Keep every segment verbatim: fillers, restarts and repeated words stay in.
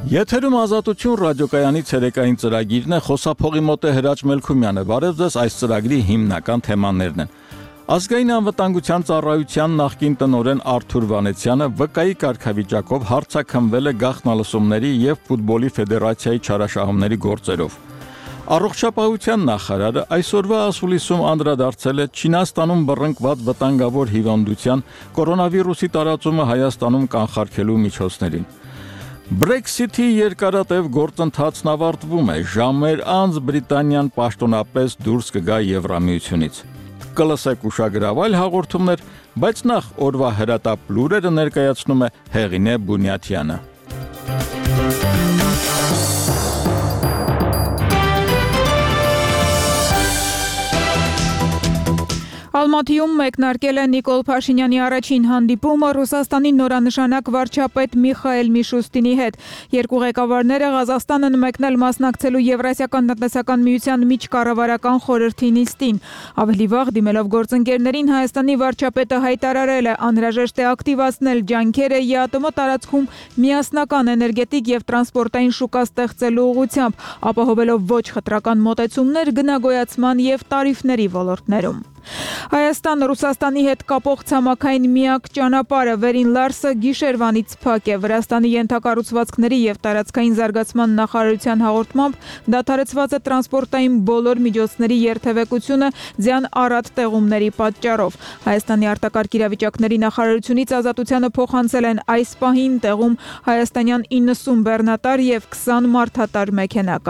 Եթերում Ազատություն ռադիոկայանի ցերեկային ծրագիրն է, խոսափողի մոտ է Հրաչ Մելքումյանը։ Բարև ձեզ, այս ծրագրի հիմնական թեմաներն են։ Ազգային անվտանգության ծառայության նախկին տնօրեն Արթուր Վանեցյանը վկայի կարգավիճակով հարցաքննվել է գաղտնալսումների եւ ֆուտբոլի ֆեդերացիայի չարաշահումների գործերով։ Առողջապահության նախարարը այսօրվա ասուլիսում անդրադարձել է Չինաստանում բռնկված վտանգավոր հիվանդության կորոնավիրուսի տարածումը Հայաստանում կանխարգելու միջոցներին։ Brexit-ի երկարատև գործընթացն ավարտվում է, ժամեր անց Բրիտանիան պաշտոնապես դուրս կգա Եվրամիությունից։ Կլսեք ուշագրավայր հաղորդումներ, բայց նախ օրվա հրատապ լուրերը ներկայացնում է Հեղինե Բունյաթյանը։ Ալմատիում մեկնարկել է Նիկոլ Փաշինյանի առաջին հանդիպումը Ռուսաստանի նորանշանակ վարչապետ Միխայել Միշուստինի հետ։ Երկու ղեկավարները Ղազախստան են մեկնել մասնակցելու Եվրասիական տնտեսական միության միջկառավարական խորհրդի նիստին։ Ավելի վաղ դիմելով գործընկերներին Հայաստանի վարչապետը հայտարարել է անհրաժեշտ է ակտիվացնել ջանքերը ԵԱՏՄ տարածքում միասնական էներգետիկ եւ տրանսպորտային շուկա ստեղծելու ուղղությամբ, ապահովելով ոչ խտրական մոտեցումներ գնագոյացման եւ տարիֆների ոլորտներում։ Հայաստան-Ռուսաստանի հետ կապող ցամաքային միակ ճանապարհը Վերին Լարսը գիշերվանից փակ է։ Վրաստանի ենթակառուցվածքների եւ տարածքային զարգացման նախարարության հաղորդմամբ դադարեցված է տրանսպորտային բոլոր միջոցների երթևեկությունը ձյան առատ տեղումների պատճառով։ Հայաստանի արտակարգ իրավիճակների նախարարությունից Ազատությանը փոխանցել են այս պահին տեղում հայաստանյան իննսուն բեռնատար եւ քսան մարդատար մեքենա։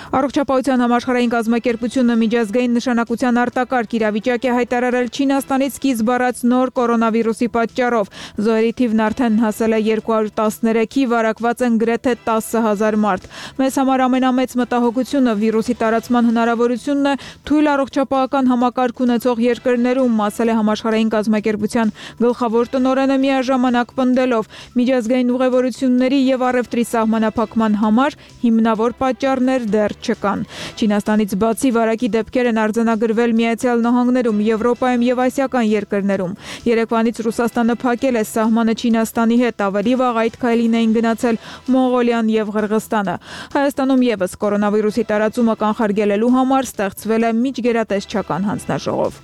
Առողջապահության համաշխարհային կազմակերպությունը միջազգային նշանակության արտակարգ իրավիճակ է հայտարարել Չինաստանից սկիզբ առած նոր կորոնավիրուսի պատճառով։ Զոհերի թիվն արդեն հասել է երկու հարյուր տասներեքի, վարակված են գրեթե տասը հազար մարդ։ Մեզ համար ամենամեծ մտահոգությունը վիրուսի տարածման հնարավորությունն է թույլ առողջապահական համակարգ ունեցող երկրներում, ասել է համաշխարհային կազմակերպության գլխավոր տնօրենը միաժամանակ պնդելով միջազգային ուղևորությունների եւ առևտրի սահմանափակման համար հիմնավոր պատճառներ դեռ չկան։ Չինաստանից բացի վարակի դեպքեր են արձանագրվել Միացյալ Նահանգներում, Եվրոպայում եւ ասիական երկրներում։ Երեկվանից Ռուսաստանը փակել է սահմանը Չինաստանի հետ, ավելի վաղ այդ քայլին էին գնացել Մոնղոլիան եւ Ղրղստանը։ Հայաստանում եւս կորոնավիրուսի տարածումը կանխարգելելու համար ստեղծվել է միջգերատեսչական հանձնաժողով։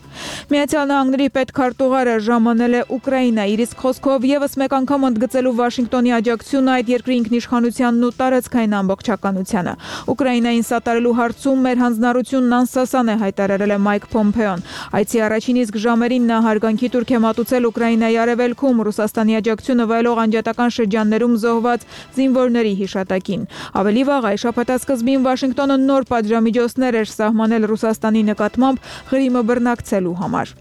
Միացյալ Նահանգների պետքարտուղարը ժամանել է Ուկրաինա, իր իսկ խոսքով եւս մեկ անգամ ընդգծելու Վաշինգտոնի աջակցությունը այդ երկրի ինքնիշխանությանն ու տարածքային ամբողջականությանը։ Ուկրաինային սատարելու հարցում մեր հանձնառությունն անսասան է, հայտարարել է Մայք Փոմփեոն։ Այցի առաջին իսկ ժամերին նա հարգանքի տուրք է մատուցել Ուկրաինայի արևելքում Ռուսաստանի աջակցությունը վայելող անջատական շրջաններում զոհված զինվորների հիշատակին։ Ավելի վաղ այս շաբաթասկզբին Վաշինգտոնը նոր պատժամիջոցներ էր սահմանել Ռուսաստանի նկատմամբ Ղրիմը բռնակցելու համար։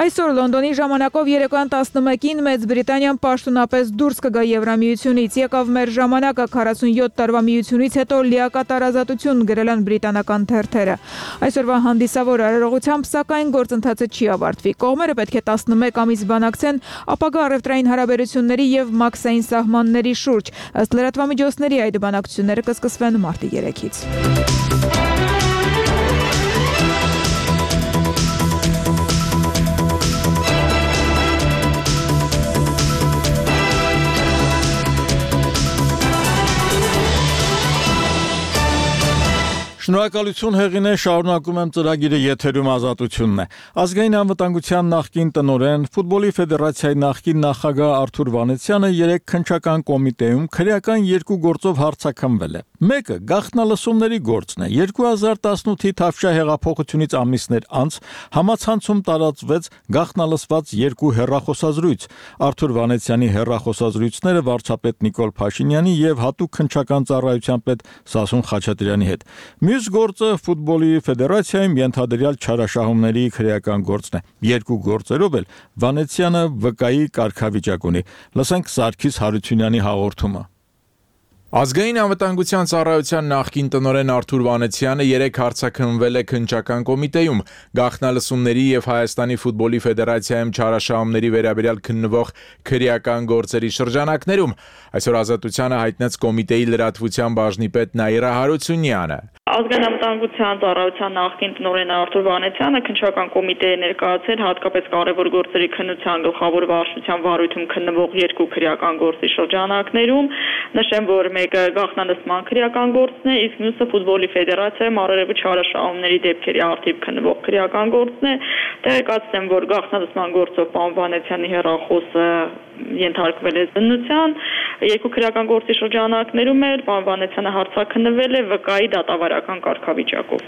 Այսօր Լոնդոնի ժամանակով երեկոյան տասնմեկին Մեծ Բրիտանիան պաշտոնապես դուրս կգա Եվրամիությունից։ Եկավ մեր ժամանակը, քառասունյոթ տարվա միությունից հետո լիակատար ազատություն, գրել են բրիտանական թերթերը։ Այսօրվա հանդիսավոր արարողությամբ սակայն գործընթացը չի ավարտվի։ Կողմերը պետք է տասնմեկ ամիս բանակցեն ապագա առևտրային հարաբերությունների եւ մաքսային սահմանների շուրջ։ Ըստ լրատվամիջոցների այդ բանակցությունները կսկսվեն մարտի երեքից։ Շնորհակալություն Հեղինե, շարունակում եմ ծրագիրը, եթերում Ազատությունն է։ Ազգային անվտանգության նախկին տնօրեն, ֆուտբոլի ֆեդերացիայի նախկին նախագահ Արթուր Վանեցյանը երեք քննչական կոմիտեում քրեական երկու գործով հարցաքննվել է։ Մեկը գաղտնալսումների գործն է։ երկու հազար տասնութի Թավշյա հեղափոխությունից ամիսներ անց համացանցում տարածվեց գաղտնալսված երկու հեռախոսազրույց։ Արթուր Վանեցյանի հեռախոսազրույցները վարչապետ Նիկոլ Փաշինյանի եւ հատուկ քննչական ծառայության պետ Սասուն Խաչատրյանի հետ։ Մյուս գործը ֆուտբոլի ֆեդերացիայում ենթադրյալ չարաշահումների քրեական գործն է։ Երկու գործերով էլ Վանեցյանը վկայի կարգավիճակ ունի։ Լսենք Սարգիս Հարությունյանի հաղորդումը։ Ազգային անվտանգության ծառայության նախկին տնօրեն Արթուր Վանեցյանը երեք հարցաքննվել է քննչական կոմիտեում գաղտնալսումների եւ Հայաստանի ֆուտբոլի ֆեդերացիայում չարաշահումների վերաբերյալ քննվող քրեական գործերի շրջանակներում։ Այսօր Ազատությանը հայտնեց կոմիտեի լրատվության բաժնի պետ Նաիրա Հարությունյանը։ Ազգային անվտանգության ծառայության նախկին տնօրեն Արթուր Վանեցյանը քննչական կոմիտեի ներկայացել հատկապես կարևոր գործերի քննության գլխավոր վարչության վարույթում քննվող երկու քրեական գործի շրջանակներում, նշեմ, որ մեկը գաղտնալսման քրեական գործն է, իսկ մյուսը ֆուտբոլի ֆեդերացիայում առերևույթ չարաշահումների դեպքերի արդիվ քննվող քրեական գործն է։ Տեղեկացնեմ, որ գաղտնալսման գործով պարոն Վանեցյանի հեռախոսը ենթարկվել է զննության, երկու քրեական գործի շրջանակներում էլ պարոն Վանեցյանը հարցաքննվել է վկայի դատավարական կարգավիճակով։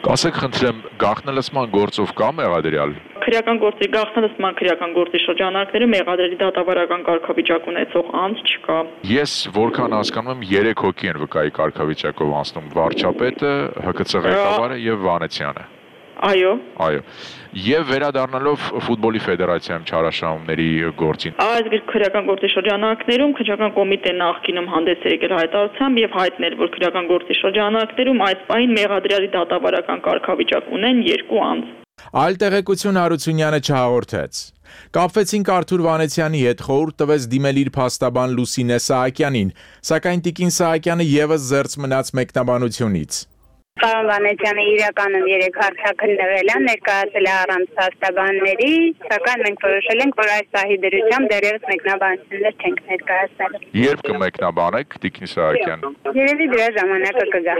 Կասեք, խնդրեմ, գաղտնալսման գործով կա մեղադրյալ։ Քրեական գործի գաղտնալսման քրեական գործի շրջանակներում մեղադրելի դատավարական կարգավիճակ ունեցող անձ չկա։ Ես որքան հասկանում եմ, երեք հոգի են վկայի կարգավիճակով անցնում՝ վարչապետը, Հ K C ղեկավարը եւ Վանեցյանը։ Այո։ Այո։ Եվ վերադառնալով ֆուտբոլի ֆեդերացիայում չարաշահումների գործին։ Այս քրեական գործի շրջանակներում քրեական կոմիտեն նախկինում հանդես է եկել հայտարարությամբ եւ հայտնել, որ քրեական գործի շրջանակներում այս պահին մեղադրյալի դատավարական կարգավիճակ ունեն երկու անձ։ Այլ տեղեկություն Հարությունյանը չհաղորդեց։ Կապվեցինք Արթուր Վանեցյանի հետ, խորհուրդ տվեց դիմել իր փաստաբան Լուսինե Սահակյանին, սակայն Տիկին Սահակյանը եւս զերծ մնաց մեկնաբանությունից։ Պարոն Վանեցյանը իրականում երեք հարցաքննվել է, ներկայացել է առանց փաստաբանների, սակայն մենք որոշել ենք, որ այս սահի դրությամբ դեռևս մեկնաբանություններ չենք ներկայացնել։ Երբ կմեկնաբանեք, Տիկին Սահակյան։ Երևի դրա ժամանակը կգա։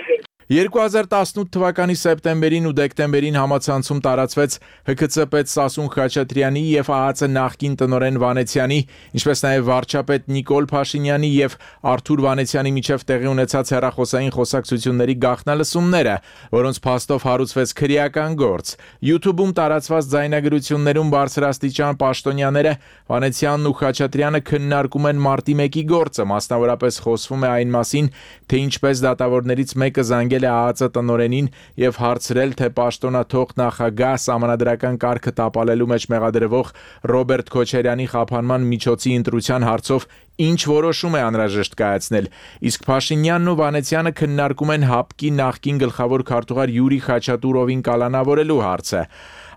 երկու հազար տասնութ թվականի սեպտեմբերին ու դեկտեմբերին համացանցում տարածվեց Հ K C պետ Սասուն Խաչատրյանի եւ Ա Ա Ց նախկին տնօրեն Վանեցյանի, ինչպես նաեւ վարչապետ Նիկոլ Փաշինյանի եւ Արթուր Վանեցյանի միջև տեղի ունեցած հեռախոսային խոսակցությունների գաղտնալսումները, որոնց փաստով հարուցվեց քրեական գործ։ YouTube-ում տարածված ձայնագրություններում բարձրաստիճան պաշտոնյաները Վանեցյանն ու Խաչատրյանը քննարկում են մարտի մեկի գործը, մասնավորապես խոսվում է այն մասին, թե ինչպես դատավորներից մեկը զանգել է Ա Ա Ց տնօրենին եւ հարցրել, թե պաշտոնաթող նախագահ սահմանադրական կարգը տապալելու մեջ մեղադրվող Ռոբերտ Քոչարյանի խափանման միջոցի ընտրության հարցով ինչ որոշում է անհրաժեշտ կայացնել, իսկ Փաշինյանն ու Վանեցյանը քննարկում են ՀԱՊԿ-ի նախկին գլխավոր քարտուղար Յուրի Խաչատուրովին կալանավորելու հարցը։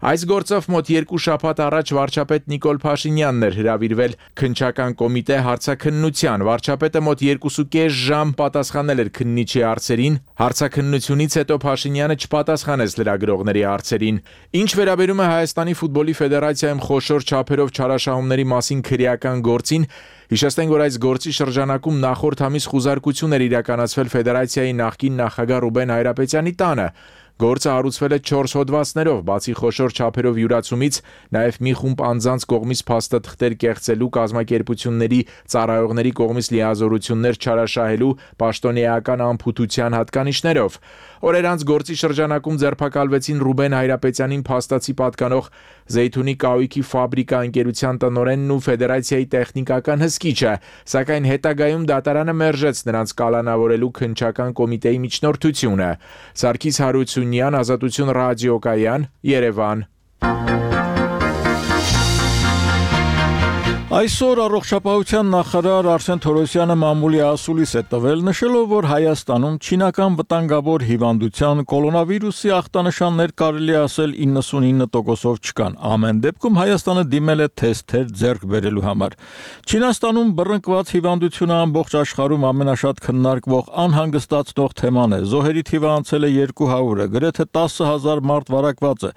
Այս գործով մոտ երկու շաբաթ առաջ վարչապետ Նիկոլ Փաշինյանն էր հրավիրվել քննչական կոմիտե հարցաքննության։ Վարչապետը մոտ երկուսուկես ժամ պատասխանել էր քննիչի հարցերին։ Հարցաքննությունից հետո Փաշինյանը չպատասխանեց լրագրողների հարցերին։ Ինչ վերաբերում է Հայաստանի ֆուտբոլի ֆեդերացիայում խոշոր չափերով չարաշահումների մասին քրեական գործին, հիշեցնենք, որ այս գործի շրջանակում նախորդ ամիս խուզարկություն էր իրականացվել ֆեդերացիայի նախկին նախագահ Ռուբեն Հայրապետյանի տանը։ Գործը հարուցվել է չորս հոդվածներով, բացի խոշոր չափերով յուրացումից, նաև մի խումբ անձանց կողմից փաստաթղթեր կեղծելու, կազմակերպությունների ծառայողների կողմից լիազորություններ չարաշահելու, պաշտոնեական անփութության հատկանիշներով։ Օրեր անց գործի շրջանակում ձերբակալվեցին Ռուբեն Հայրապետյանին փաստացի պատկանող Զեյթունի կահույքի ֆաբրիկա ընկերության տնօրենն ու ֆեդերացիայի տեխնիկական հսկիչը, սակայն հետագայում դատարանը մերժեց նրանց կալանավորելու քննչական կոմիտեի միջնորդությունը։ Սարգիս Հարությունյան, Ազատություն ռադիոկայան, Երևան։ Այսօր առողջապահության նախարար Արսեն Թորոսյանը մամուլի ասուլիս է տվել, նշելով, որ Հայաստանում չինական վտանգավոր հիվանդության կորոնավիրուսի ախտանշաններ կարելի ասել իննսունինը տոկոսով չկան։ Ամեն դեպքում Հայաստանը դիմել է թեստեր ձեռք բերելու համար։ Չինաստանում բռնկված հիվանդությունը ամբողջ աշխարհում ամենաշատ քննարկվող անհանգստացնող թեման է։ Զոհերի թիվը անցել է երկու հարյուրը, գրեթե տասը հազար մարդ վարակված է։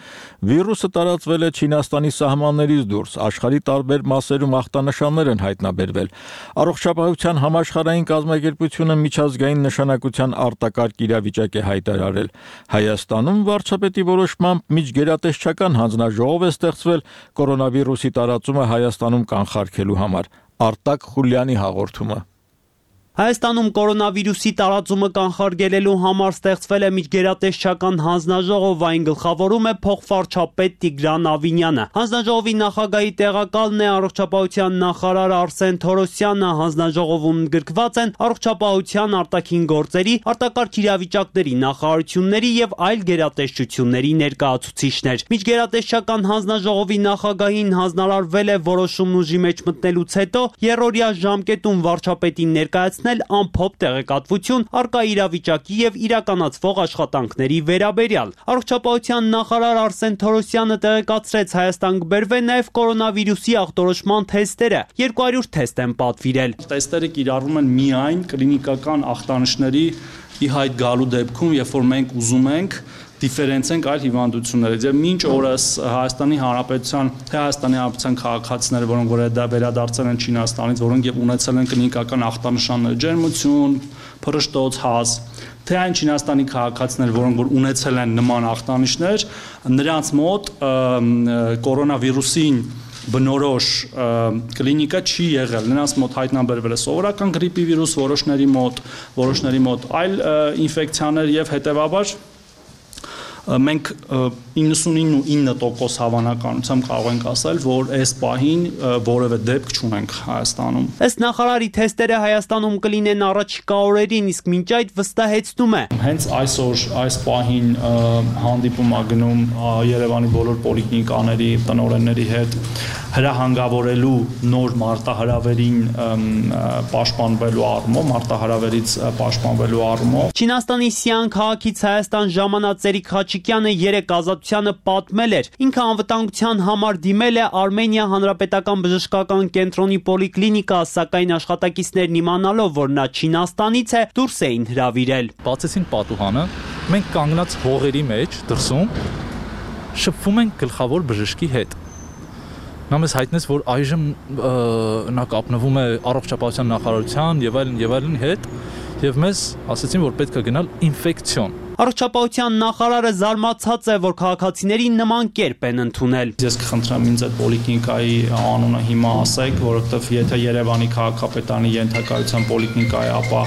Վիրուսը տարածվել է Չինաստանի սահմաններից դուրս, աշխարհի տարբեր մասերում ախտանշաններ են հայտնաբերվել։ Առողջապահության համաշխարհային կազմակերպությունը միջազգային նշանակության արտակարգ իրավիճակ է հայտարարել։ Հայաստանում վարչապետի որոշմամբ միջգերատեսչական հանձնաժողով է ստեղծվել կորոնավիրուսի տարածումը Հայաստանում կանխարգելու համար։ Արտակ Խուլյանի հաղորդումը։ Հայաստանում կորոնավիրուսի տարածումը կանխարգելելու համար ստեղծվել է միջգերատեսչական հանձնաժողով, այն գլխավորում է փոխվարչապետ Տիգրան Ավինյանը։ Հանձնաժողովի նախագահի տեղակալն է առողջապահության նախարար Արսեն Թորոսյանը։ Հանձնաժողովում ընդգրկված են առողջապահության, արտաքին գործերի, արտակարգ իրավիճակների նախարարությունների եւ այլ գերատեսչությունների ներկայացուցիչներ։ Միջգերատեսչական հանձնաժողովի նախագահին հանձնարարվել է որոշումն ուժի մեջ մտնելուց հետո երրորդյա ժամկետում վարչապետին ներկայացնել ստացնել ամփոփ տեղեկատվություն առկա իրավիճակի եւ իրականացվող աշխատանքների վերաբերյալ։ Առողջապահության նախարար Արսեն Թորոսյանը տեղեկացրեց, Հայաստան կբերվեն նաեւ կորոնավիրուսի ախտորոշման թեստերը, երկու հարյուր թեստ են պատվիրել։ Թեստերը կիրառվում են միայն կլինիկական ախտանիշների ի հայտ գալու դեպքում, երբ որ մենք ուզում ենք դիֆերենցենք այլ հիվանդություններից եւ մինչ օրս Հայաստանի Հանրապետության թե Հայաստանի Հանրապետության քաղաքացիները, որոնք որ դա վերադարձել են Չինաստանից, որոնք եւ ունեցել են կլինիկական ախտանշաններ, ջերմություն, փռշտոց, հազ, թե այն Չինաստանի քաղաքացիներ, որոնք որ ունեցել են նման ախտանիշներ, նրանց մոտ կորոնավիրուսին բնորոշ կլինիկա չի եղել, նրանց մոտ հայտնաբերվել է սովորական գրիպի վիրուս, որոշների մոտ, որոշների մոտ այլ ինֆեկցիաներ եւ հետեւաբար մենք իննսունինը տոկոս հավանականությամբ կարող ենք ասել, որ այս պահին որևէ դեպք չունենք Հայաստանում։ Ըստ նախարարի թեստերը Հայաստանում կլինեն առաջիկա օրերին, իսկ մինչ այդ վստահեցնում է։ Հենց այսօր այս պահին հանդիպում ա գնում Երևանի բոլոր պոլիկլինիկաների տնօրենների հետ հրահանգավորելու նոր մարտահրավերին պաշտպանվելու առումով, մարտահրավերից պաշտպանվելու առումով։ Չինաստանի Սիան քաղաքից Հայաստան ժամանած Ծերիկ Խաչիկյանը երեք Ազատությանը պատմել էր, ինքը անվտանգության համար դիմել է Արմենիա Հանրապետական բժշկական կենտրոնի պոլիկլինիկա, սակայն աշխատակիցներն իմանալով, որ նա Չինաստանից է, դուրս էին հրավիրել։ Բացեցին պատուհանը, մենք կանգնած հողերի մեջ դրսում շփվում ենք գլխավոր բժշկի հետ։ Նա մեզ հայտնեց, որ այժմ նա կապնվում է առողջապահության նախարարության եւ այլն եւ այլն հետ եւ մեզ ասացին, որ պետք է գնալ ինֆեկցիոն։ Առողջապահության նախարարը զարմացած է, որ քաղաքացիներին նման կերպ են ընդունել։ Ես կխնդրեմ ինձ այդ պոլիկլինիկայի անունը հիմա ասեք, որովհետեւ եթե Երևանի քաղաքապետարանի ենթակայության պոլիկլինիկա է, ապա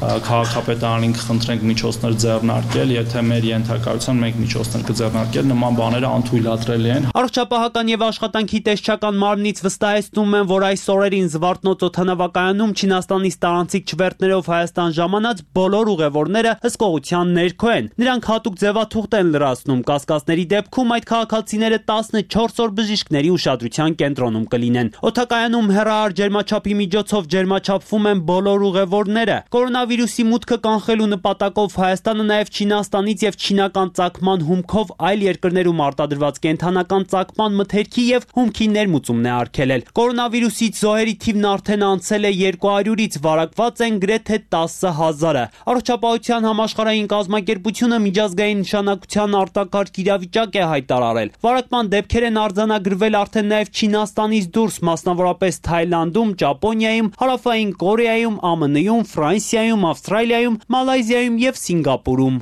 քաղաքապետարանին կխնդրենք միջոցներ ձեռնարկել, եթե մեր ենթակայության մենք միջոցներ կձեռնարկել, նման բաները անթույլատրելի են։ Առողջապահական եւ աշխատանքի տեսչական մարմնից վստահեցնում են, որ այս օրերին Զվարթնոց օդանավակայանում Չինաստանից տարանցիկ չվերթներով Հայաստան ժամանած բոլոր ուղևորները հսկողության ներքո են։ Նրանք հատուկ ձևաթուղթ են լրացնում, կասկածների դեպքում այդ քաղաքացիները տասնչորս օր բժիշկների ուշադրության կենտրոնում կլինեն։ Օդակայանում հեռահար ջերմաչափի միջոցով ջերմաչափվում են բոլոր ուղևորները։ Կորոնավիրուսի մուտքը կանխելու նպատակով Հայաստանը նաև Չինաստանից եւ չինական ծագման հումքով այլ երկրներում արտադրված կենթանական ծագման մթերքի եւ հումքի ներմուծումն է արգելել։ Կորոնավիրուսից զոհերի թիվն արդեն անցել է երկու հարյուրից, վարակված են գրեթե տասը հազարը։ Առողջապահության համաշխարհային կազմակերպությունը միջազգային նշանակության արտակարգ իրավիճակ է հայտարարել։ Վարակման դեպքեր են արձանագրվել արդեն նաև Չինաստանից դուրս, մասնավորապես Թայլանդում, Ճապոնիայում, Հարավային Կորեայում, ԱՄՆ-ում, Ֆրանսիայում, Ավստրալիայում, Մալայզիայում եւ Սինգապուրում։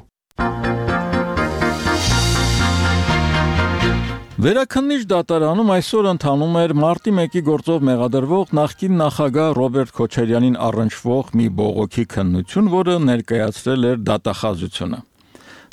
Վերաքննիչ դատարանում այսօր ընթանում էր մարտի մեկի գործով մեղադրվող նախկին նախագահ Ռոբերտ Քոչարյանին առնչվող մի բողոքի քննություն, որը ներկայացրել էր դատախազությունը։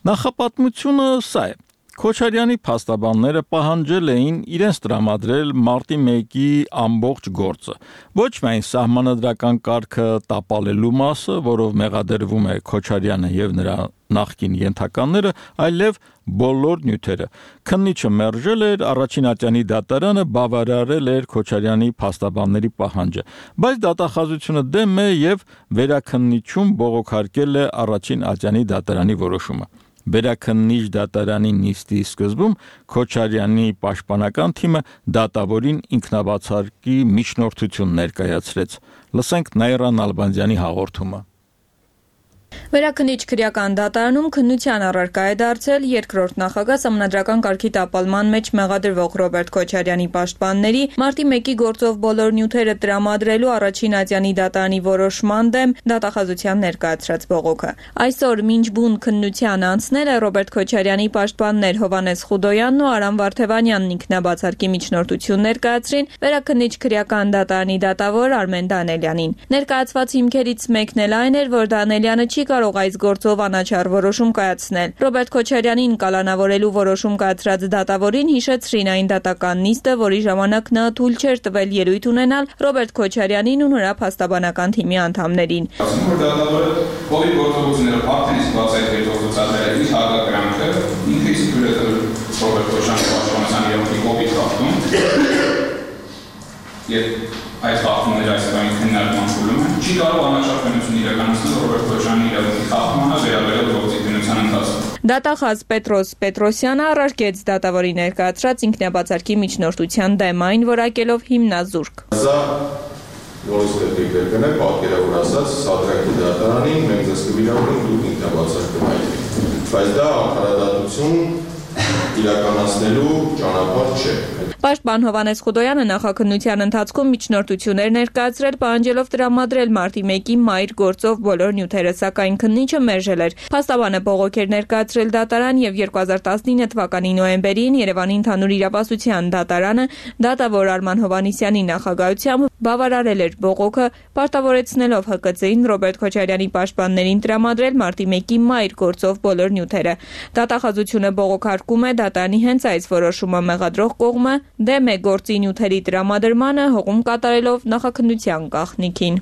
Նախապատմությունը սա է. Քոչարյանի փաստաբանները պահանջել էին իրենց տրամադրել մարտի մեկի ամբողջ գործը, ոչ միայն սահմանադրական կարգը տապալելու մասը, որով մեղադրվում է Քոչարյանը եւ նրա նախկին ենթականները, այլև բոլոր նյութերը։ Քննիչը մերժել էր, առաջին ատյանի դատարանը բավարարել էր Քոչարյանի փաստաբանների պահանջը, բայց դատախազությունը դեմ է եւ վերաքննիչում բողոքարկել է առաջին ատյանի դատարանի որոշումը։ Վերաքննիչ դատարանի նիստի սկզբում Քոչարյանի պաշտպանական թիմը դատավորին ինքնաբացարկի միջնորդություն ներկայացրեց։ Լսենք Նաիրա Նալբանդյանի հաղորդումը։ Վերաքննիչ քրեական դատարանում քննության առարկա է դարձել երկրորդ նախագահ սահմանադրական կարգի տապալման մեջ մեղադրվող Ռոբերտ Քոչարյանի պաշտպանների մարտի մեկի գործով բոլոր նյութերը տրամադրելու առաջին ատյանի դատարանի որոշման դեմ դատախազության ներկայացրած բողոքը։ Այսօր մինչ բուն քննության անցնել է Ռոբերտ Քոչարյանի պաշտպաններ Հովհաննես Խուդոյանն ու Արամ Վարդևանյանն ինքնաբացարկի միջնորդություն ներկայացրին վերաքննիչ քրեական դատարանի դատավոր Արմեն Դանելյանին։ Ներկայացված հիմքերից մեկն էլ այն էր, որ Դանելյանը չի կարող այս գործով անաչառ որոշում կայացնել։ Ռոբերտ Քոչարյանին կալանավորելու որոշում կայացրած դատավորին հիշեցրին այն դատական նիստը, որի ժամանակ նա թույլ չէր տվել ելույթ ունենալ Ռոբերտ Քոչարյանին ու նրա փաստաբանական թիմի անդամներին։ Դատավորը բոլոր գործողությունները արդեն իսկ բացահայտել գործածել է իր հակակրանքը, ինքը իսկ գրել Ռոբերտ Քոչարյանի պաշտպանության երեւի կոպիտ խախտում։ եւ այս խախտումները այսօրին քննարկման փուլում են, չի կարող անաչափություն իրականացնել Ռոբերտ Քոչարյանի իրավունքի խախտմանը վերաբերյալ գործիքնության ընթացքում։ Դատախազ Պետրոս Պետրոսյանը առարկեց դատավորի ներկայացրած ինքնաբացարկի միջնորդության դեմ, այն որակելով հիմնազուրկ։ Սա նորից պետք է կրկնել, պատկերավոր ասած, Սադրակի դատարանին մենք ձեզ կվիրավորենք դուք ինքնաբացարկ կհայտնեք։ Բայց դա արդարադատություն իրականացնելու ճանապարհ չէ։ Պաշտպան Հովհաննես Խուդոյանը նախաքննության ընթացքում միջնորդություններ ներկայացրել, պահանջելով տրամադրել մարտի մեկի մայր գործով բոլոր նյութերը, սակայն քննիչը մերժել էր։ Փաստաբանը բողոք էր ներկայացրել դատարան եւ երկու հազար տասնինը թվականի նոյեմբերին Երևանի ընդհանուր իրավասության դատարանը դատավոր Արման Հովհաննիսյանի նախագահությամբ բավարարել էր բողոքը, պարտավորեցնելով Հ Կ Ծ-ին Ռոբերտ Քոչարյանի պաշտպաններին տրամադրել մարտի մեկի մայր գործով բոլոր նյութերը։ Դատախազությունը բողոքարկում է դատարանի հենց այս որոշումը մեղադրող կողմը դեմ է գործի նյութերի տրամադրմանը, հողում կատարելով նախաքննության գաղտնիքին։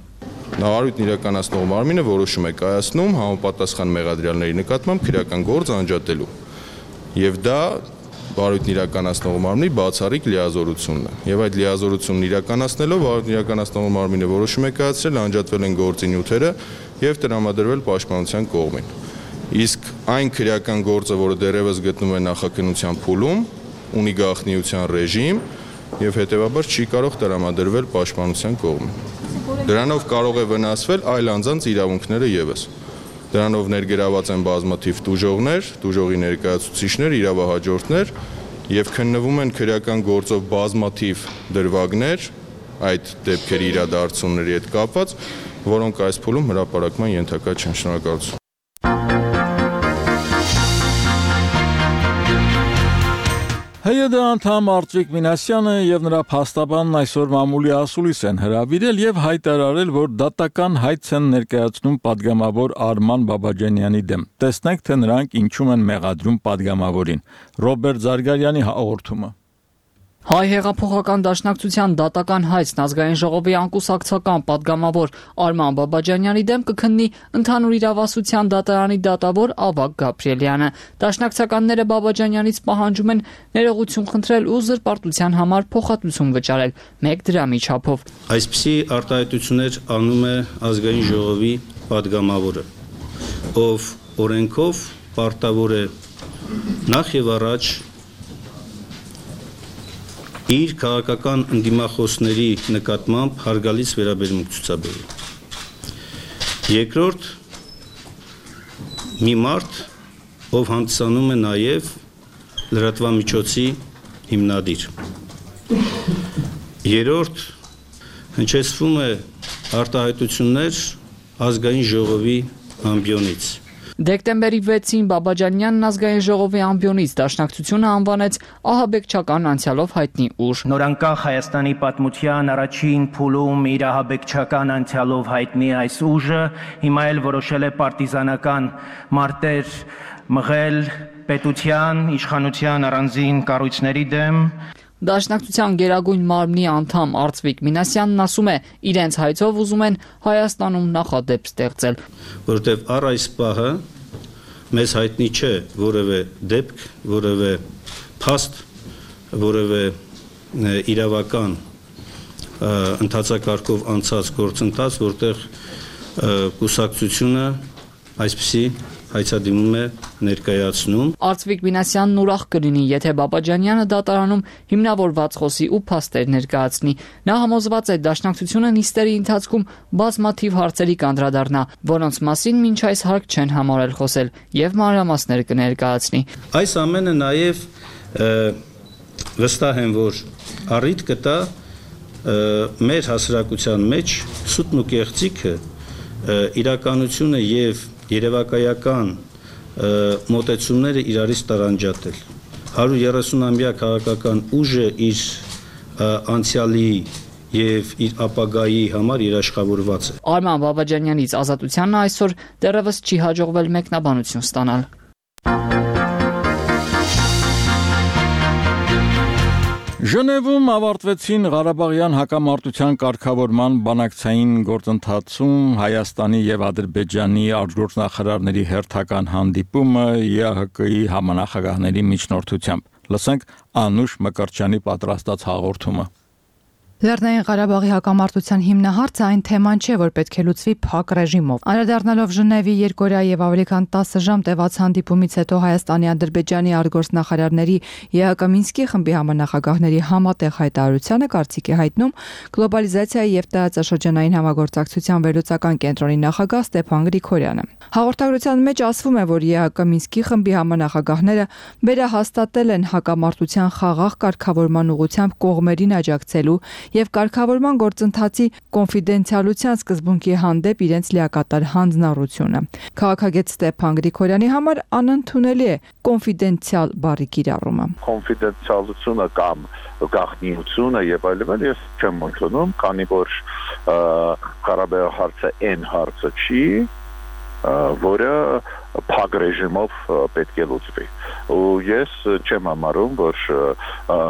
Նահարույթն իրականացնող մարմինը որոշում է կայացնում համապատասխան մեղադրյալների նկատմամբ քրեական գործ անջատելու։ Եվ դա վարույթն իրականացնող մարմնի բացառիկ լիազորությունն է։ Եվ այդ լիազորությունն իրականացնելով վարույթն իրականացնող մարմինը որոշում է կայացրել անջատվել են գործի նյութերը եւ տրամադրվել պաշտպանության կողմին։ Իսկ այն քրեական գործը, որը դեռևս գտնվում է նախաքննության փուլում, ունի գաղտնիության ռեժիմ եւ հետեւաբար չի կարող տրամադրվել պաշտպանության կողմին։ Դրանով կարող է վնասվել այլ անձանց իրավունքները եւս։ Դրանով ներգրաված են բազմաթիվ տուժողներ, տուժողի ներկայացուցիչներ, իրավահաջորդներ եւ քննվում են քրեական գործով բազմաթիվ դրվագներ այդ դեպքերի իրադարձությունների հետ կապված, որոնք այս փուլում հրապարակման ենթակա չեն։ Շնորհակալություն։ ՀՅԴ անդամ Արծվիկ Մինասյանը եւ նրա փաստաբանն այսօր մամուլի ասուլիս են հրավիրել եւ հայտարարել, որ դատական հայց են ներկայացնում падգամավոր Արման Բաբաջանյանի դեմ։ Տեսնենք, թե նրանք ինչու են մեղադրում падգամավորին։ Ռոբերտ Զարգարյանի հաղորդումը։ Հայ հեղափոխական դաշնակցության դատական հայցն ազգային ժողովի անկուսակցական падգամավոր Արման Բաբաջանյանի դեմ կքննի ընդհանուր իրավասության դատարանի դատավոր Ավագ Գաբրիելյանը։ Դաշնակցականները Բաբաջանյանից պահանջում են ներողություն խնդրել ու զրպարտության համար փոխհատուցում վճարել մեկ դրամի չափով։ Այսպիսի արտահայտություններ անում է ազգային ժողովի падգամավորը, ով օրենքով պարտավոր է նախ եւ առաջ իր քաղաքական ընդդիմախոսների նկատմամբ հարգալից վերաբերմունք ցուցաբերել։ Երկրորդ, մի մարդ, ով հանդիսանում է նաև լրատվամիջոցի հիմնադիր։ Երրորդ, հնչեցվում է արտահայտություններ ազգային ժողովի ամբիոնից։ Դեկտեմբերի վեցին Բաբաջանյանն ազգային ժողովի ամբիոնից դաշնակցությունը անվանեց ահաբեկչական անցյալով հայտնի ուժ։ Նորանկախ Հայաստանի պատմության առաջին փուլում իր ահաբեկչական անցյալով հայտնի այս ուժը հիմա էլ որոշել է պարտիզանական մարտեր մղել պետության, իշխանության առանձին կառույցների դեմ։ Դաշնակցության գերագույն մարմնի անդամ Արծվիկ Մինասյանն ասում է, իրենց հայցով ուզում են Հայաստանում նախադեպ ստեղծել, որովհետև առ այս պահը մեզ հայտնի չէ որևէ դեպք, որևէ փաստ, որևէ իրավական ընթացակարգով անցած գործընթաց, որտեղ կուսակցությունը այսպիսի հայցադիմում է ներկայացնում։ Արծվիկ Մինասյանն ուրախ կլինի, եթե Բաբաջանյանը դատարանում հիմնավորված խոսի ու փաստեր ներկայացնի։ Նա համոզված է, դաշնակցությունը նիստերի ընթացքում բազմաթիվ հարցերի կանդրադառնա, որոնց մասին մինչ այս հարկ չեն համարել խոսել եւ մանրամասներ կներկայացնի։ Այս ամենը նաեւ վստահ եմ, որ առիթ կտա մեր հասարակության մեջ սուտն ու կեղծիքը իրականությունը եւ երևակայական մոտեցումները իրարից տարանջատել։ հարյուր երեսունամյա քաղաքական ուժը իր անցյալի եւ իր ապագայի համար երաշխավորված է։ Արման Բաբաջանյանից ազատությանն այսօր դեռևս չի հաջողվել մեկնաբանություն ստանալ։ Ժնևում ավարտվեցին Ղարաբաղյան հակամարտության կարգավորման բանակցային գործընթացում Հայաստանի եւ Ադրբեջանի արտգործնախարարների հերթական հանդիպումը Ե Հ Կ-ի համանախագահների միջնորդությամբ։ Լսենք Անուշ Մկրտչյանի պատրաստած հաղորդումը։ Լեռնային Ղարաբաղի հակամարտության հիմնահարցը այն թեման չէ, որ պետք է լուծվի փակ ռեժիմով։ Անդրադառնալով Ժնևի երկօրյա եւ ավելի քան տասը ժամ տևած հանդիպումից հետո Հայաստանի, Ադրբեջանի արտգործնախարարների ԵԱԿ Մինսկի խմբի համանախագահների համատեղ հայտարարությանը կարծիք է հայտնում գլոբալիզացիայի եւ տարածաշրջանային համագործակցության վերլուծական կենտրոնի նախագահ Ստեփան Գրիգորյանը։ Հաղորդագրության մեջ ասվում է, որ ԵԱԿ Մինսկի խմբի համանախագահները վերահաստատել են հակամարտության խաղաղ կարգավորման ուղղությամբ կողմերին աջակցելու եւ կարգավորման գործընթացի կոնֆիդենցիալության սկզբունքի հանդեպ իրենց լիակատար հանձնառությունը։ Քաղաքագետ Ստեփան Գրիգորյանի համար անընդունելի է կոնֆիդենցիալ բառի կիրառումը։ Կոնֆիդենցիալությունը կամ գաղտնիությունը եւ այլն ես չեմ ընդունում, քանի որ Ղարաբաղի հարցը այն հարցը չի, որը փակ ռեժիմով պետք է լուծվի։ Ու ես չեմ համարում, որ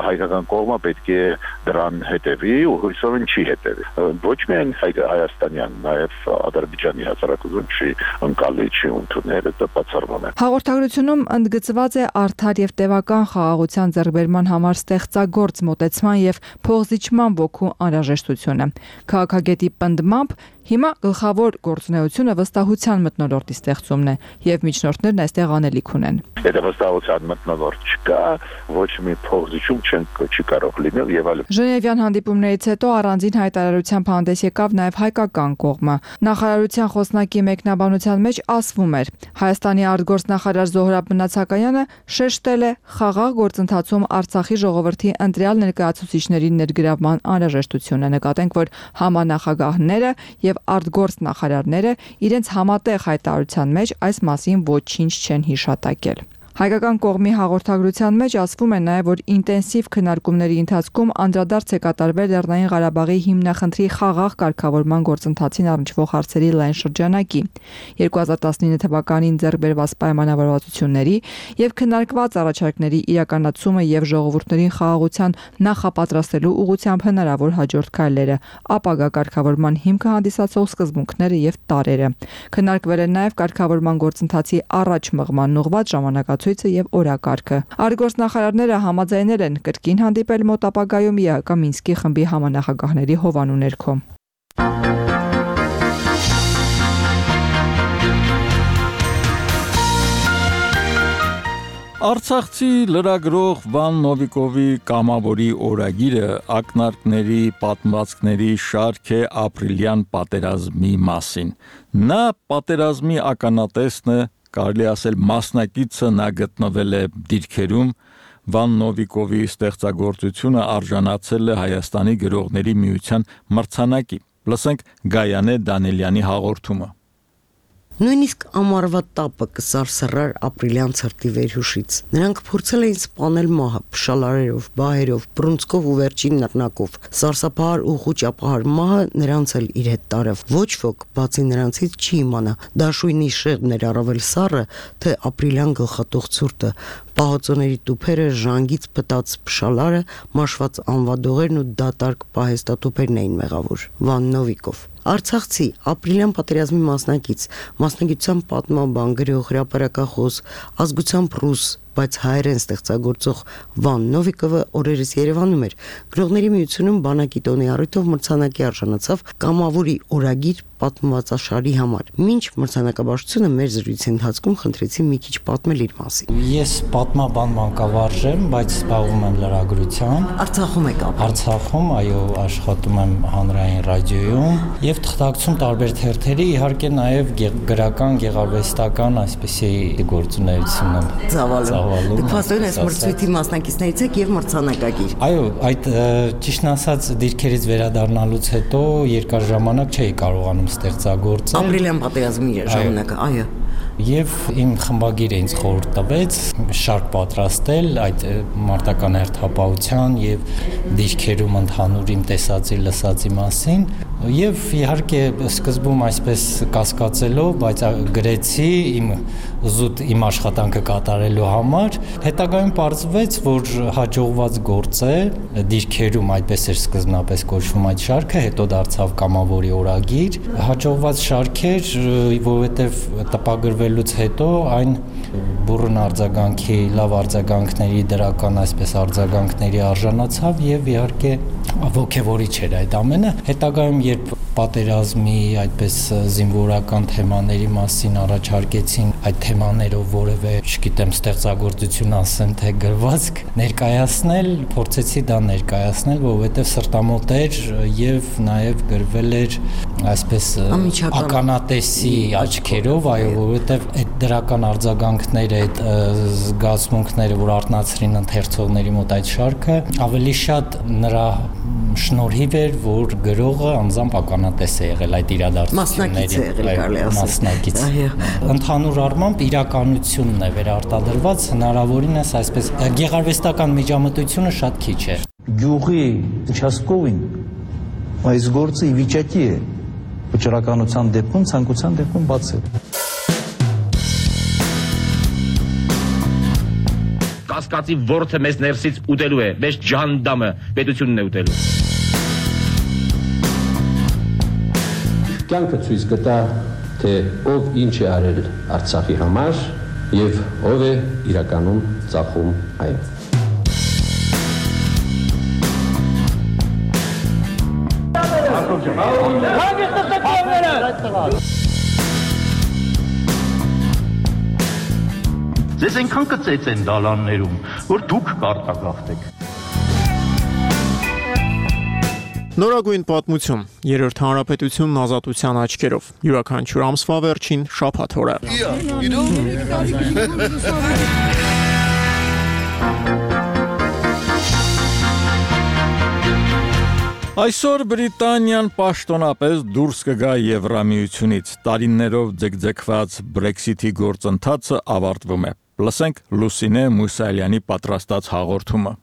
հայկական կողմը պետք է դրան հետևի ու հույսով չի հետևի։ Ոչ միայն հայաստանյան, նաև Ադրբեջանի հասարակություն չի ընկալի, չի ընդունել, դա բացառվում է։ Հաղորդագրությունում ընդգծված է արդար եւ տևական խաղաղության ձեռքբերման համար ստեղծագործ մոտեցման եւ փոխզիջման ոգու անհրաժեշտությունը։ Քաղաքագետի պնդմամբ հիմա գլխավոր գործունեությունը վստահության մթնոլորտի ստեղծումն է եւ միջնորդներն այստեղ անելիք ունեն։ Եթե վստահության մթնոլորտ չկա, ոչ մի փոխզիջում չի կարող լինել եւ այլն։ Ժնևյան հանդիպումներից հետո առանձին հայտարարությամբ հանդես եկավ նաեւ հայկական կողմը։ Նախարարության խոսնակի մեկնաբանության մեջ ասվում էր. Հայաստանի արտգործնախարար Զոհրաբ Մնացակայանը շեշտել է խաղաղ գործընթացում Արցախի ժողովրդի ընտրյալ ներկայացուցիչների ներգրավման անհրաժեշտությունը։ Նկատենք, որ համանախագահները եւ արտգործնախարարները իրենց համատեղ հայտարարության մեջ այս մասին ոչինչ չեն հիշատակել։ Հայկական կողմի հաղորդագրության մեջ ասվում է նաև, որ ինտենսիվ քննարկումների ընթացքում անդրադարձ է կատարվել Լեռնային Ղարաբաղի հիմնախնդրի խաղաղ կարգավորման գործընթացին առնչվող հարցերի լայն շրջանակի, երկու հազար տասնինը թվականին ձեռք բերված պայմանավորվածությունների եւ քննարկված առաջարկների իրականացումը եւ ժողովուրդներին խաղաղության նախապատրաստելու ուղղությամբ հնարավոր հաջորդ քայլերը, ապագա կարգավորման հիմքը հանդիսացող սկզբունքները եւ տարրերը։ Քննարկվել է նաև կարգավորման գործընթացի առաջ մղման ուղղված ժամանակացույց եւ օրակարգը։ Արտգործնախարարները համաձայնել են կրկին հանդիպել մոտ ապագայում ԵԱԿ Մինսկի խմբի համանախագահների հովանու ներքո։ Արցախցի լրագրող Վան Նովիկովի կամավորի օրագիրը ակնարկների, պատմվածքների շարք է ապրիլյան պատերազմի մասին։ Նա պատերազմի ականատեսն է, կարելի ասել մասնակիցը, նա գտնվել է դիրքերում։ Վան Նովիկովի ստեղծագործությունը արժանացել է Հայաստանի գրողների միության մրցանակի։ Լսենք Գայանե Դանիելյանի հաղորդումը։ Նույնիսկ ամառվա տապը կսարսռար ապրիլյան ցրտի վերհուշից։ Նրանք փորձել էին սպանել մահը փշալարերով, բահերով, բռունցքով ու վերջին նռնակով։ Սարսափահար ու խուճապահար մահը նրանց էլ իր հետ տարավ։ Ոչ ոք, բացի նրանցից, չի իմանա դաշույնի շեղբն էր առավել սառը, թե ապրիլյան գլխատող ցուրտը, պահոցոների տուփերը, ժանգից փտած փշալարը, մաշված անվադողերն ու դատարկ պահեստատուփերն էին մեղավոր։ Վան Նովիկով Արցախցի ապրիլյան պատերազմի մասնակից, մասնագիտությամբ պատմաբան, գրող, հրապարակախոս, ազգությամբ ռուս, բայց հայերեն ստեղծագործող Վան Նովիկովը օրերս Երևանում էր։ Գրողների միությունում բանակի տոնի առիթով մրցանակի արժանացավ կամավորի օրագիր պատմվածաշարի համար։ Մինչ մրցանակաբաշխությունը մեր զրույցի ընթացքում խնդրեցի մի քիչ պատմել իր մասին։ Ես պատմաբան մանկավարժ եմ, բայց զբաղվում եմ լրագրությամբ։ Արցախում եք ապրում։ Արցախում, այո, աշխատում եմ հանրային ռադիոյում եւ թղթակցում տարբեր թերթերի, իհարկե նաեւ գրական, գեղարվեստական այսպիսի գործունեություն եմ ծավալում։ Դուք փաստորեն այս մրցույթի մասնակիցներից եք եւ մրցանակակիր։ Այո, այդ ճիշտն ասած դիրքերից վերադառնալուց հետո երկար ժամանակ չէի կարողանում ստեղծագործել։ Ապրիլյան պատերազմի ժամանակը, այո։ Եվ իմ խմբագիրը ինձ խորհուրդ տվեց շարք պատրաստել այդ մարտական հերթապահության եւ դիրքերում ընդհանուր իմ տեսածի լսածի մասին եւ իհարկե սկզբում այսպես կասկածելով, բայց գրեցի իմ զուտ իմ աշխատանքը կատարելու համար, հետագայում պարզվեց, որ հաջողված գործ է, դիրքերում այդպես էր սկզբնապես կոչվում այդ շարքը, հետո դարձավ կամավորի օրագիր, հաջողված շարք էր, որովհետեւ տպագրվելուց հետո այն բուրըն արձագանքի, լավ արձագանքների, դրական այսպես արձագանքների արժանացավ եւ իհարկե ոգևորիչ էր այդ ամենը։ Հետագայում երբ պատերազմի այդպես զինվորական թեմաների մասին առաջարկեցին այդ թեմաներով որևէ, չգիտեմ, ստեղծագործություն ասեմ, թե գրվածք ներկայացնել, փորձեցի դա ներկայացնել, որովհետեւ սրտամոտ էր եւ նաեւ գրվել էր այսպես ականատեսի աչքերով, այո, որովհետեւ այդ դրական արձագանքները, այդ զգացմունքները, որ արտնացրին ընթերցողների մոտ այդ շարքը, ավելի շատ նրա շնորհիվ էր, որ գրողը անձամբ ականատես է եղել այդ իրադարձությունների, մասնակից։ Ընդհանուր առմամբ իրականությունն է վերարտադրված, հնարավորինս այսպես գեղարվեստական միջամտությունը շատ քիչ է։ Գյուղի участковին այս գործը ի վիճակի է վճռականության դեպքում, ցանկության դեպքում բացել։ Կասկածի ворթը մեզ ներսից ուտելու է, մեզ ջանդամը պետությունն է ուտելու։ Կյանքը ցույց կտա, թե ով ինչ է արել Արցախի համար եւ ով է իրականում ծախում այն։ Ձեզ այնքան կծեց են դալաններում, որ դուք կարտագաղթեք։ Նորագույն պատմություն, երրորդ հանրապետությունն ազատության աչքերով, յուրաքանչյուր ամսվա վերջին շաբաթ օրը։ Այսօր Բրիտանիան պաշտոնապես դուրս կգա Եվրամիությունից, տարիներով ձգձգված Brexit-ի գործընթացը ավարտվում է։ Լսենք Լուսինե Մուսալյանի պատրաստած հաղորդումը։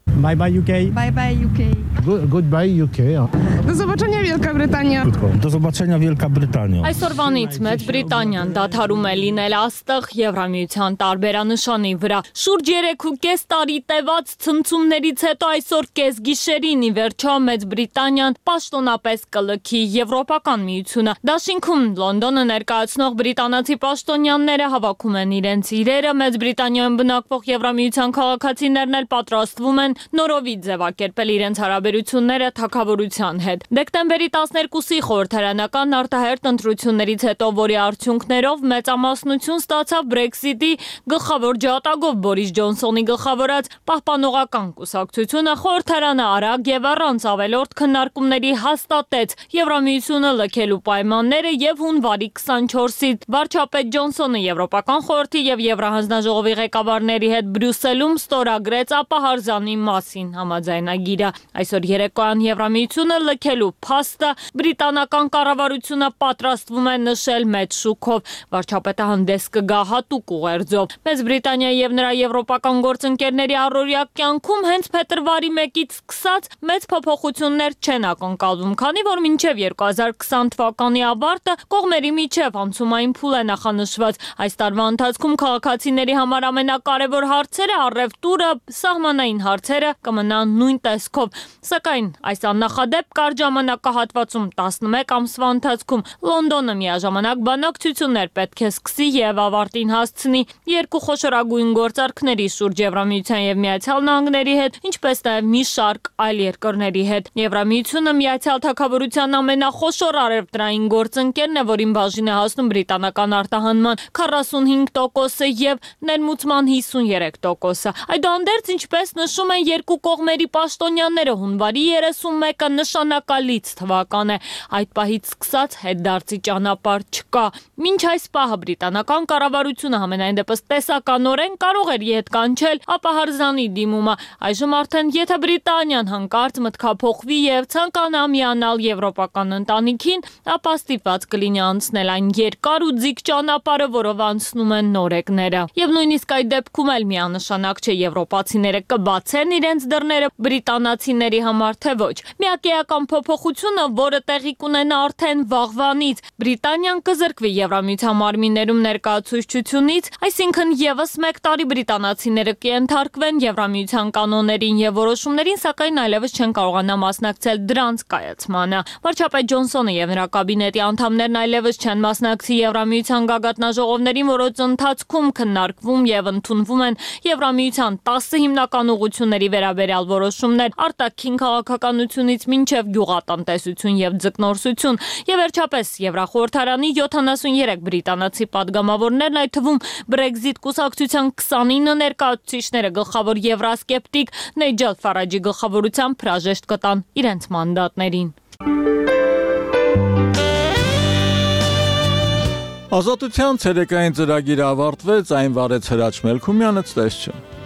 Bye bye U K. Bye bye U K. Good, goodbye U K. Do zobaczenia Wielka Brytania. Do zobaczenia Wielka Brytania. Այսօրվանից Մեծ Բրիտանիան դադարում է լինել աստղ Եվրամիության տարբերանշանի վրա։ Շուրջ երեք ու կես տարի տևած ցնցումներից հետո այսօր կես գիշերին ի վերջո Մեծ Բրիտանիան պաշտոնապես կլքի Եվրոպական միությունը։ Դաշինքում Լոնդոնը ներկայացնող բրիտանացի պաշտոնյաները հավաքում են իրենց իրերը, Մեծ Բրիտանիայում բնակվող Եվրամիության քաղաքացիներն էլ պատրաստվում են նորովի ձևակերպել իրենց հարաբերությունները թագավորության հետ։ Դեկտեմբերի տասներկուսի խորհրդարանական արտահերթ ընտրություններից հետո, որի արդյունքներով մեծամասնություն ստացավ Brexit-ի գլխավոր ջատագով Բորիս Ջոնսոնի գլխավորած պահպանողական կուսակցությունը, խորհրդարանը արագ եւ առանց ավելորդ քննարկումների հաստատեց Եվրամիությունը լքելու պայմանները եւ հունվարի քսանչորսից վարչապետ Ջոնսոնը Եվրոպական խորհրդի եւ Եվրահանձնաժողովի ղեկավարների հետ Բրյուսելում ստորագրեց ապահարզանի մասին համաձայնագիրը։ Այսօր երեկոյան Եվրամիությունը լքելու փաստը բրիտանական կառավարությունը պատրաստվում է նշել մեծ շուքով։ Վարչապետը հանդես կգա հատուկ ուղերձով։ Մեծ Բրիտանիայի եւ նրա եվրոպական գործընկերների առօրյա կյանքում հենց փետրվարի մեկից սկսած մեծ փոփոխություններ չեն ակնկալվում, քանի որ մինչև երկու հազար քսան թվականի ավարտը կողմերի միջև անցումային փուլ է նախանշված։ Այս տարվա ընթացքում քաղաքացիների համար ամենակարևոր հարցերը առևտուրը, սահմանային հարցերը կմնան նույն տեսքով, սակայն այս աննախադեպ կարճ ժամանակահատվածում տասնմեկ ամսվա ընթացքում Լոնդոնը միաժամանակ բանակցություններ պետք է սկսի եւ ավարտին հասցնի երկու խոշորագույն գործարքների շուրջ Եվրամիության եւ Միացյալ Նահանգների հետ, ինչպես նաեւ մի շարք այլ երկրների հետ։ Եվրամիությունը Միացյալ Թագավորության ամենախոշոր առևտրային գործընկերն է, որին բաժին է հասնում բրիտանական արտահանման քառասունհինգ տոկոսը եւ ներմուծման հիսուններեք տոկոսը։ Այդուհանդերձ, ինչպես նշում են երկու կողմերի պաշտոնյաները, հունվարի երեսունմեկը նշանակալից թվական է։ Այդ պահից սկսած հետդարձի ճանապարհ չկա։ Մինչ այս պահը բրիտանական կառավարությունը համենայն դեպս տեսականորեն կարող էր իհետ կանչել ապահարզանի դիմումը։ Այժմ արդեն եթե Բրիտանիան հանկարծ մտքափոխվի եւ ցանկանա միանալ եվրոպական ընտանիքին, ապա ստիպված կլինի անցնել այն երկար ու ձիգ ճանապարհը, որով անցնում են նորեկները։ Եվ նույնիսկ այդ դեպքում էլ միանշանակ չէ, եվրոպացիները կբացեն են իրենց դռները բրիտանացիների համար, թե ոչ։ Միակեական փոփոխությունը, որը տեղի կունենա արդեն վաղվանից, Բրիտանիան կզրկվի Եվրամիության մարմիններում ներկայացուցչությունից, այսինքն եւս մեկ տարի բրիտանացիները կենթարկվեն Եվրամիության կանոններին եւ որոշումներին, սակայն այլևս չեն կարողանա մասնակցել դրանց կայացմանը։ Վարչապետ Ջոնսոնը եւ նրա կաբինետի անդամներն այլևս չեն մասնակցի Եվրամիության գագաթնաժողովներին, որոնց ընթացքում քննարկվում եւ ընդունվում են Եվրամիության տասը հիմնական ուղղությունների վերաբերյալ որոշումներ, արտաքին քաղաքականությունից մինչև գյուղատնտեսություն եւ ձկնորսություն, եւ վերջապես Եվրախորհրդարանի յոթանասուներեք բրիտանացի падգամավորներն, այդ թվում Brexit կուսակցության քսանինը ներկայացուցիչները, գլխավոր եվրասկեպտիկ Նիջել Ֆարաջի գլխավորությամբ հրաժեշտ կտան իրենց մանդատներին։ Ազատության ցերեկային ծրագիրը ավարտվեց, այն վարեց Հրաչ Մելքումյանը, ցտեսություն։